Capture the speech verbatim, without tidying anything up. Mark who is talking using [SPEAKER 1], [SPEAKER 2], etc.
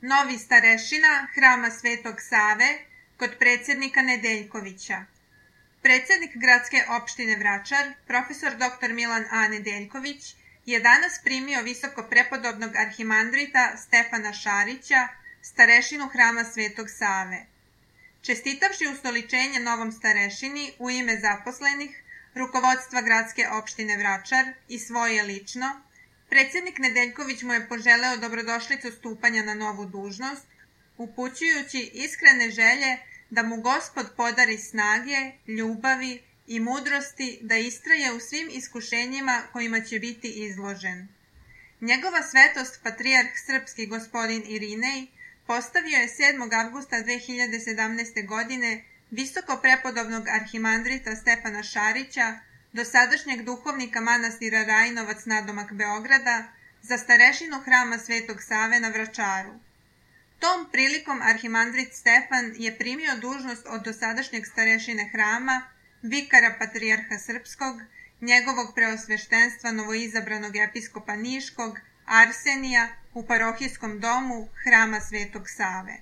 [SPEAKER 1] novi starešina Hrama Svetog Save kod predsjednika Nedeljkovića. Predsjednik gradske opštine Vračar, profesor doktor Milan A. Nedeljković, je danas primio visoko prepodobnog arhimandrita Stefana Šarića, starešinu Hrama Svetog Save. Čestitavši ustoličenje novom starešini u ime zaposlenih, rukovodstva gradske opštine Vračar i svoje lično, predsjednik Nedeljković mu je poželeo dobrodošlicu stupanja na novu dužnost, upućujući iskrene želje da mu Gospod podari snage, ljubavi i mudrosti da istraje u svim iskušenjima kojima će biti izložen. Njegova svetost patrijarh srpski gospodin Irinej postavio je sedmog avgusta dve hiljade sedamnaeste. godine visoko prepodobnog arhimandrita Stefana Šarića, dosadašnjeg duhovnika manastira Rajnovac nadomak Beograda, za starešinu Hrama Svetog Save na Vračaru. Tom prilikom arhimandrit Stefan je primio dužnost od dosadašnjeg starešine hrama, vikara patrijarha srpskog, njegovog preosveštenstva novoizabranog episkopa Niškog, Arsenija, u parohijskom domu Hrama Svetog Save.